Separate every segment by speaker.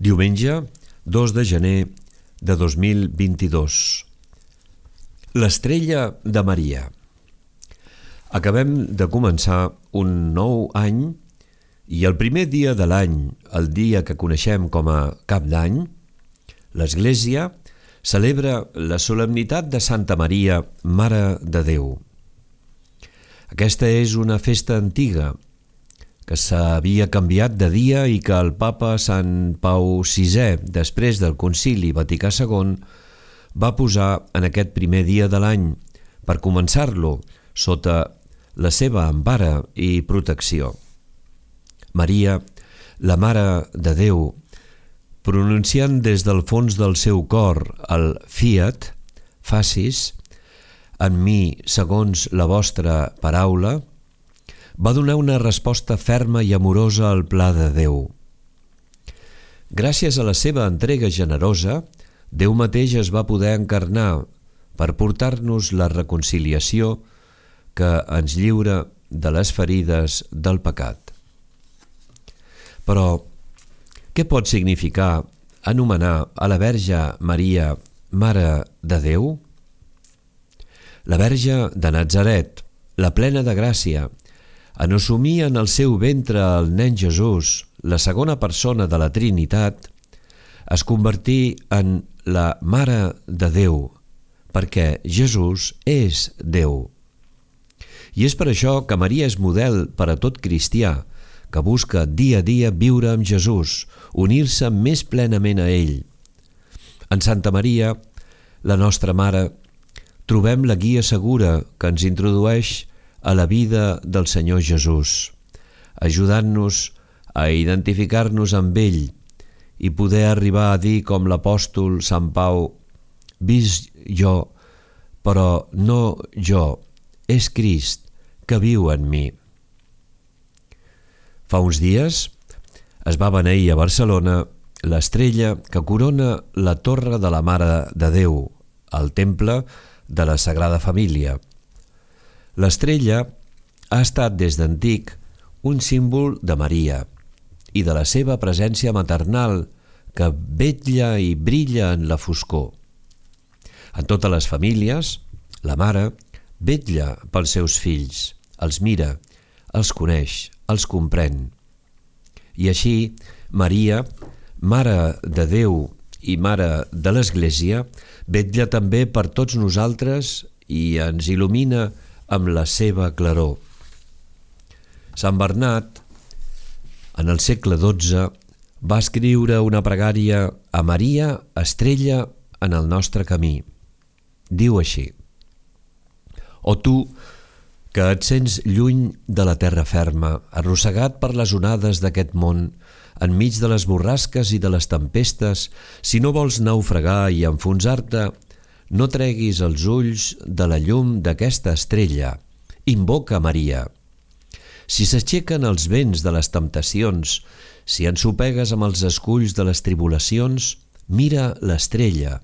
Speaker 1: Diumenge, 2 de gener de 2022. L'estrella de Maria. Acabem de començar un nou any i el primer dia de l'any, el dia que coneixem com a Cap d'Any, l'Església celebra la solemnitat de Santa Maria, Mare de Déu. Aquesta és una festa antiga que s'havia canviat de dia i que el papa Sant Pau VI, després del Concili Vaticà II, va posar en aquest primer dia de l'any per començar-lo sota la seva empara i protecció. Maria, la Mare de Déu, pronunciant des del fons del seu cor el Fiat, facis, en mi segons la vostra paraula, va donar una resposta ferma i amorosa al pla de Déu. Gràcies a la seva entrega generosa, Déu mateix es va poder encarnar per portar-nos la reconciliació que ens lliura de les ferides del pecat. Però, què pot significar anomenar a la Verge Maria Mare de Déu? La Verge de Natzaret, la plena de gràcia, en assumir en el seu ventre el nen Jesús, la segona persona de la Trinitat, es convertí en la Mare de Déu, perquè Jesús és Déu. I és per això que Maria és model per a tot cristià, que busca dia a dia viure amb Jesús, unir-se més plenament a ell. En Santa Maria, la nostra Mare, trobem la guia segura que ens introdueix a la vida del Senyor Jesús, ajudant-nos a identificar-nos amb ell i poder arribar a dir com l'apòstol Sant Pau: «Visc jo, però no jo, és Crist que viu en mi». Fa uns dies es va beneir a Barcelona l'estrella que corona la Torre de la Mare de Déu, el Temple de la Sagrada Família. L'estrella ha estat des d'antic un símbol de Maria i de la seva presència maternal que vetlla i brilla en la foscor. En totes les famílies, la mare vetlla pels seus fills, els mira, els coneix, els comprèn. I així, Maria, Mare de Déu i Mare de l'Església, vetlla també per tots nosaltres i ens il·lumina amb la seva claror. Sant Bernat, en el segle XII, va escriure una pregària a Maria, estrella en el nostre camí. Diu així: «O tu, que et sents lluny de la terra ferma, arrossegat per les onades d'aquest món, enmig de les borrasques i de les tempestes, si no vols naufragar i enfonsar-te, no treguis els ulls de la llum d'aquesta estrella. Invoca Maria. Si s'aixequen els vents de les temptacions, si ensopegues amb els esculls de les tribulacions, mira l'estrella,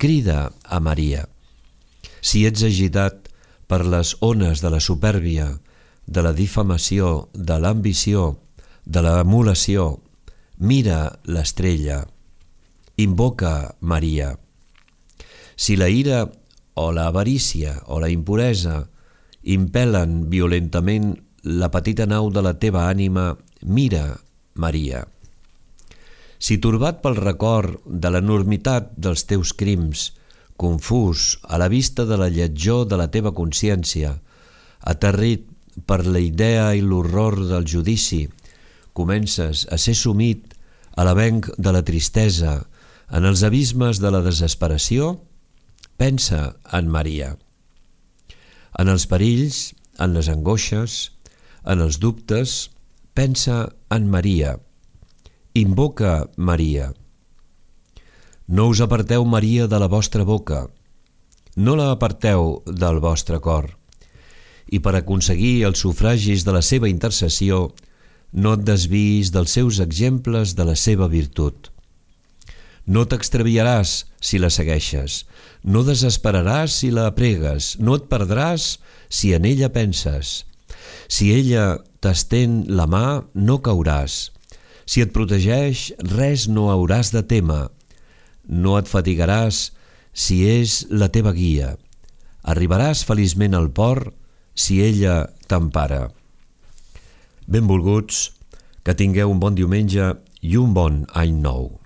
Speaker 1: crida a Maria. Si ets agitat per les ones de la supèrbia, de la difamació, de l'ambició, de l'emulació, mira l'estrella. Invoca Maria. Si la ira o l'avarícia o la impuresa impel·len violentament la petita nau de la teva ànima, mira Maria. Si turbat pel record de l'enormitat dels teus crims, confús a la vista de la lletjor de la teva consciència, aterrit per la idea i l'horror del judici, comences a ser sumit a l'avenc de la tristesa, en els abismes de la desesperació, pensa en Maria. En els perills, en les angoixes, en els dubtes, pensa en Maria. Invoca Maria. No us aparteu Maria de la vostra boca, no la aparteu del vostre cor, i per aconseguir els sufragis de la seva intercessió, no et desviïs dels seus exemples de la seva virtut. No t'extraviaràs si la segueixes, no desesperaràs si la pregues, no et perdràs si en ella penses. Si ella t'estén la mà, no cauràs. Si et protegeix, res no hauràs de témer. No et fatigaràs si és la teva guia. Arribaràs feliçment al port si ella t'empara. Benvolguts, que tingueu un bon diumenge i un bon any nou.